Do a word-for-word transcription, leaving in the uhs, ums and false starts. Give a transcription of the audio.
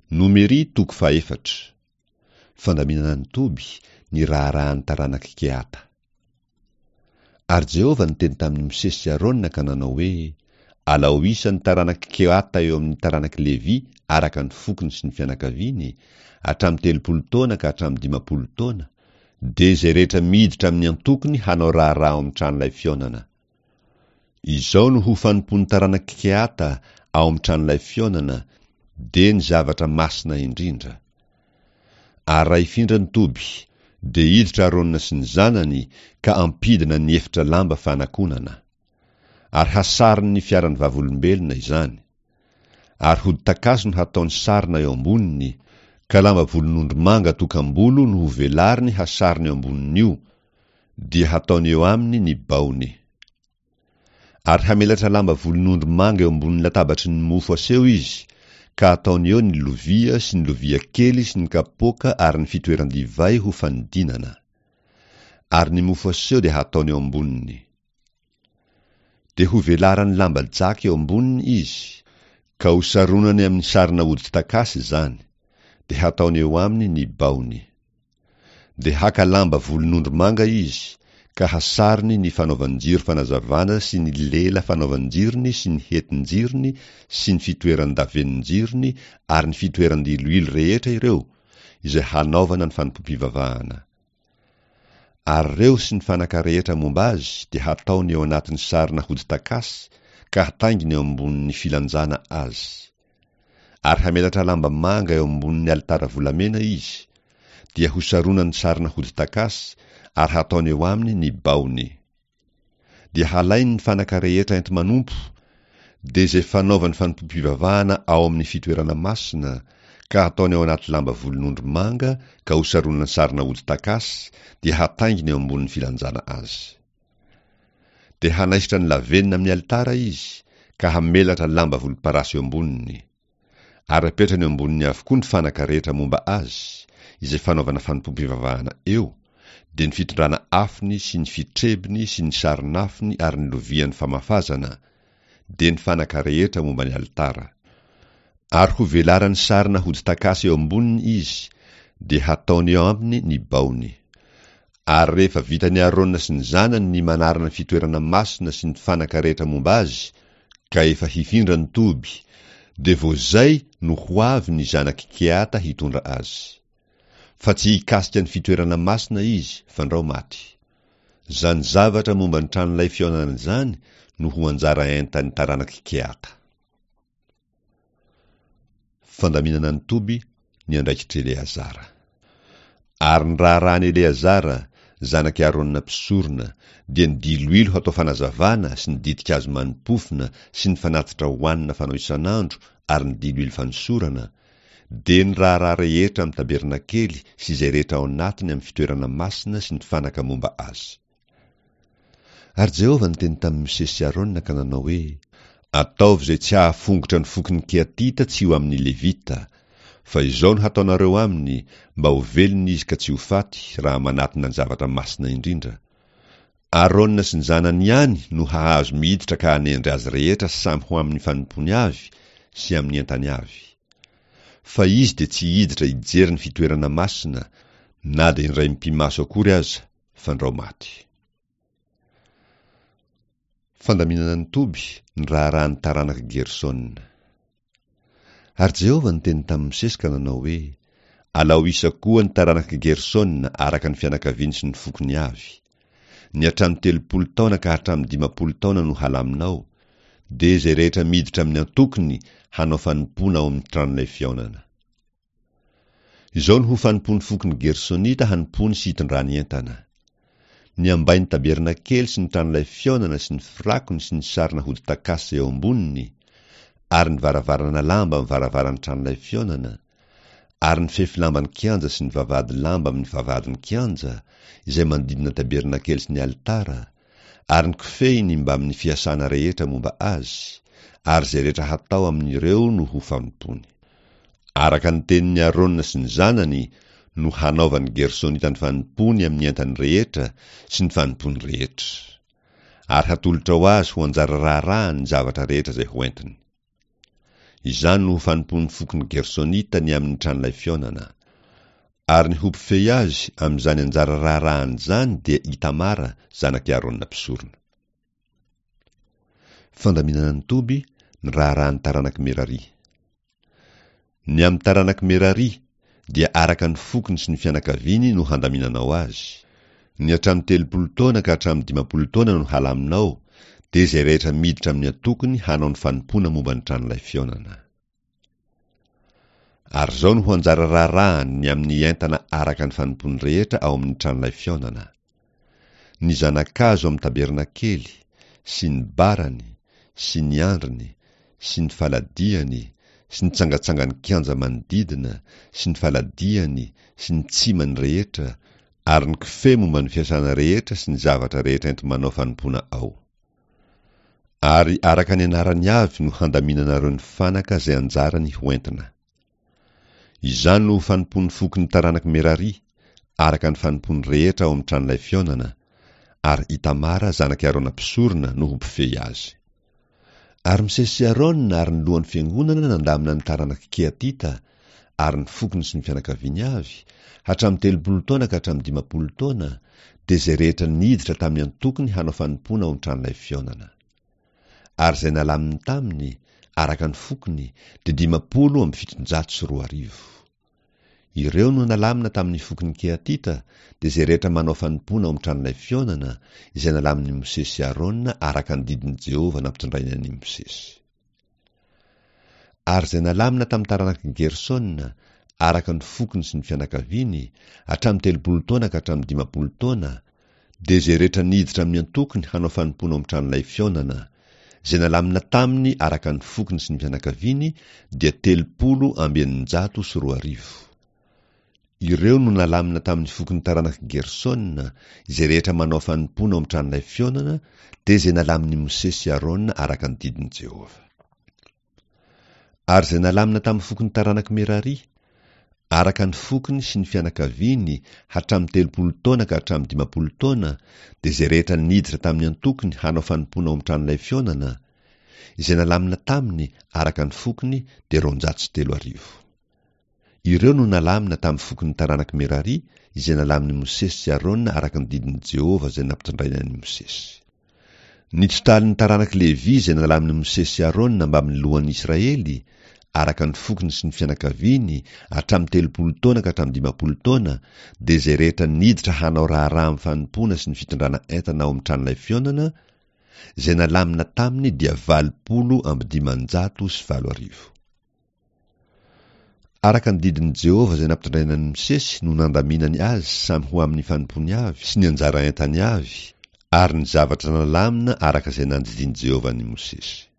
Nomery toko fahefatra. Fandaminana ny toby, ny raharahan'ny taranak'i Kehata. Ary Jehovah niteny tamin'i Mosesy sy Arona ka nanao hoe, Alao isa ny taranak'i Kehata eo amin'ny taranak'i Levy araka ny fokony sy ny fianakaviany, hatramin'ny telopolo taona ka hatramin'ny dimampolo taona, dia izay rehetra miditra amin'ny antokony hanao raharaha ao amin'ny tranolay fihaonana. Izao no ho fanompoan'ny taranak'i Kehata ao amin'ny tranolay fihaonana, dia ny zavatra masina indrindra. Ary raha hifindra ny toby, dia hiditra Arona sy ny zanany ka hampidina ny efitra lamba fanakonana. Ary hasariny ny fiaran'ny vavolombelona izany. Ary hodi-takazo no hataony sarona eo amboniny, ka lamba volon'ondry manga tokam-bolo no hovelariny hasarony eo ambonin'io, dia hataony eo aminy ny baony. Ary hamelatra lamba volon'ondry manga eo ambonin'ny latabatry ny mofo aseho izy, ka hataony eo ny lovia sy ny lovia kely sy ny kapoaka ary ny fitoeran-divay ho fanidinana. Ary ny mofo aseho dia hataony eo amboniny. Dia hovelarany lamba jaky eo amboniny izy, ka hosaronany amin'ny sarina hodi-takasy izany, dia hataony eo aminy ny baony. Dia haka lamba volon'ondry manga izy, ka hasarony ny fanaovan-jiro fanazavana sy ny lela fanaovan-jirony sy ny hetin-jirony sy ny fitoeran-davenon-jirony ary ny fitoeran-diloilo rehetra ireo, izay hanaovana ny fanompoam-pivavahana. Ary ireo sy ny fanaka rehetra momba azy dia hataony eo anatin'ny sarina hodi-takasy ka hatainginy eo ambonin'ny filanjana azy. Ary hamelatra lamba manga eo ambonin'ny alitara volamena izy, dia hosaronany sarina hodi-takasy ary hataony eo aminy ny baony. Dia halainy ny fanaka rehetra enti-manompo, dia izay fanaovan'ny fanompoam-pivavahana ao amin'ny fitoerana masina, ka hataony ao anaty lamba volon'ondry manga ka hosaronany sarina hodi-takasy, dia hatainginy eo ambonin'ny filanjana azy. Dia hanaisotra ny lavenona amin'ny alitara izy, ka hamelatra lamba volomparasy eo amboniny. Ary apetrany eo amboniny avokoa ny fanaka rehetra momba azy, izay fanaovana fanompoam-pivavahana eo, dia ny fitondrana afony sy ny fitrebiny sy ny sarin'afony ary ny lovian'ny famafazana, dia ny fanaka rehetra momba ny alitara. Ary hovelarany sarina hodi-takasy eo amboniny izy, dia hataony eo aminy ny baony. Ary rehefa vitan'i Arona sy ny zanany ny manarina ny fitoerana masina sy ny fanaka rehetra momba azy, ka efa hifindra ny toby, dia vao izay no ho avy ny zanak'i Kehata hitondra azy. Fa tsy hikasika ny fitoerana masina izy, fandrao maty. Izany zavatra momba ny tranolay fihaonana izany no ho anjara entan'ny taranak'i Kehata. Fandaminana ny toby, ny andraikitr'i Eleazara. Ary ny raharahan'i Eleazara, zanak'i Arona mpisorona, dia ny diloilo hatao fanazavana sy ny ditin-kazo mani-pofona sy ny fanatitra hohanina fanao isan'andro ary ny diloilo fanosorana, dia ny raharaha rehetra amin'ny tabernakely sy izay rehetra ao anatiny amin'ny fitoerana masina sy ny fanaka momba azy. Ary Jehovah niteny tamin'i Mosesy sy Arona ka nanao hoe, Ataovy izay tsy hahafongotra ny fokon'ny Kehatita tsy ho amin'ny Levita, fa izao no hataonareo aminy, mba ho velona izy ka tsy ho faty raha manatona ny zavatra masina indrindra. Arona sy ny zanany ihany no hahazo miditra ka hanendry azy rehetra samy ho amin'ny fanompoany avy sy amin'ny entany avy. Fa izy dia tsy hiditra hijery ny fitoerana masina, na dia indray mipi-maso akory aza, fandrao maty. Fandaminana ny toby, ny raharahan'ny taranak'i Gersona. Ary Jehovah niteny tamin'i Mosesy ka nanao hoe, Alao isa koa ny taranak'i Gersona araka ny fianakaviany sy ny fokony avy. Ny hatramin'ny telopolo taona ka hatramin'ny dimampolo taona no halaminao, dia izay rehetra miditra amin'ny antokony hanao fanompoana ao amin'ny tranolay fihaonana. Izao no ho fanompoan'ny fokon'ny Gersonita hanompoany sy hitondrany entana. Ny ambain'ny tabernakely sy ny tranolay fihaonana sy ny firakony sy ny sarina hodi-takasy eo amboniny, ary ny varavarana lamba amin'ny varavaran'ny tranolay fihaonana, ary ny fefy lamban'ny kianja sy ny vavahady lamba amin'ny vavahadin'ny kianja, izay manodidina tabernakely sy ny alitara, ary ny kofehiny mbamin'ny fiasana rehetra momba azy, ary izay rehetra hatao amin'ireo no ho fanompoany. Araka ny tenin'i Arona sy ny zanany no hanaovan'ny Gersonita ny fanompoany amin'ny entany rehetra sy ny fanompoany rehetra. Ary hatolotra ho azy ho anjara raharahany ny zavatra rehetra izay hoentiny. Izany no ho fanompoan'ny fokon'ny Gersonita ny amin'ny tranolay fihaonana. Ary ny ho mpifehy azy amin'izany anjara raharahany izany dia Itamara, zanak'i Aarona mpisorona. Fandaminana ny toby, ny raharahan'ny taranak'i Merari. Ny amin'ny taranak'i Merari dia araka ny fokony sy ny fianakaviany no handaminanao azy. Ny hatramin'ny telopolo taona ka hatramin'ny dimampolo taona no halaminao, dia izay rehetra miditra amin'ny antokony hanao ny fanompoana momba ny tranolay fihaonana. Ary izao no ho anjara raharahany ny amin'ny entana araka ny fanompoany rehetra ao amin'ny tranolay fihaonana: ny zana-kazo amin'ny tabernakely, sy ny barany, sy ny andriny, sy ny faladiany, sy ny tsangatsangan'ny kianja manodidina, sy ny faladiany, sy ny tsimany rehetra, ary ny kofehy momba ny fiasana rehetra sy ny zavatra rehetra enti-manao fanompoana ao. Ary araka ny anarany avy no handaminanareo ny fanaka izay anjarany ho entina. Izany no ho fanompoan'ny fokon'ny taranak'i Merari, araka ny fanompoany rehetra ao amin'ny tranolay fihaonana, ary Itamara zanak'i Aarona mpisorona no ho mpifehy azy. Ary Mosesy sy Aarona ary ny lohan'ny fiangonana nandamina ny taranak'i Kehatita, ary ny fokony sy ny fianakaviany avy, hatramin'ny telopolo taona ka hatramin'ny dimampolo taona, dia izay rehetra niditra tamin'ny antokony hanao fanompoana ao amin'ny tranolay fihaonana. Ary izay nalaminy taminy, araka ny fokony, dia dimampolo amby fitonjato sy roa arivo. Ireo no nalamina tamin'ny fokon'ny Kehatita, dia izay rehetra manao fanompoana ao amin'ny tranolay fihaonana, izay nalamin'i Mosesy sy Aarona araka ny didin'i Jehovah nampitondrainy an'i Mosesy. Ary izay nalamina tamin'ny taranak'i Gersona, araka ny fokony sy ny fianakaviany, hatramin'ny telopolo taona ka hatramin'ny dimampolo taona, dia izay rehetra niditra amin'ny antokony hanao fanompoana ao amin'ny tranolay fihaonana, izay nalamina taminy araka ny fokony sy ny fianakaviany, dia telopolo amby eninjato sy roa arivo. Ireo no nalamina tamin'ny fokon'ny taranak'i Gersona, izay rehetra manao fanompoana ao amin'ny tranolay fihaonana, dia izay nalamin'i Mosesy sy Aarona araka ny didin'i Jehovah. Ary izay nalamina tamin'ny fokon'ny taranak'i Merari, araka ny fokony sy ny fianakaviany, hatramin'ny telopolo taona ka hatramin'ny dimampolo taona, dia izay rehetra niditra tamin'ny antokony hanao fanompoana ao amin'ny tranolay fihaonana, izay nalamina taminy araka ny fokony, dia roanjato sy telo arivo. Ireo no nalamina tamin'ny fokon'ny taranak'i Merari, izay nalamin'i Mosesy sy Aarona araka ny didin'i Jehovah izay nampitondrainy an'i Mosesy. Ny totalin'ny taranak'i Levy izay nalamin'i Mosesy sy Aarona mbamin'ny lohan'ny Israely, araka ny fokony sy ny fianakaviany, hatramin'ny telopolo taona ka hatramin'ny dimampolo taona, dia izay rehetra niditra hanao raharaha amin'ny fanompoana sy ny fitondrana entana ao amin'ny tranolay fihaonana, izay nalamina taminy dia valopolo amby dimanjato sy valo arivo. Araka ny didin'i Jehovah izay nampitondrainy an'i Mosesy no nandaminany azy samy ho amin'ny fanompoany avy sy ny anjara entany avy, ary ny zavatra nalamina araka izay nandidian'i Jehovah an'i Mosesy.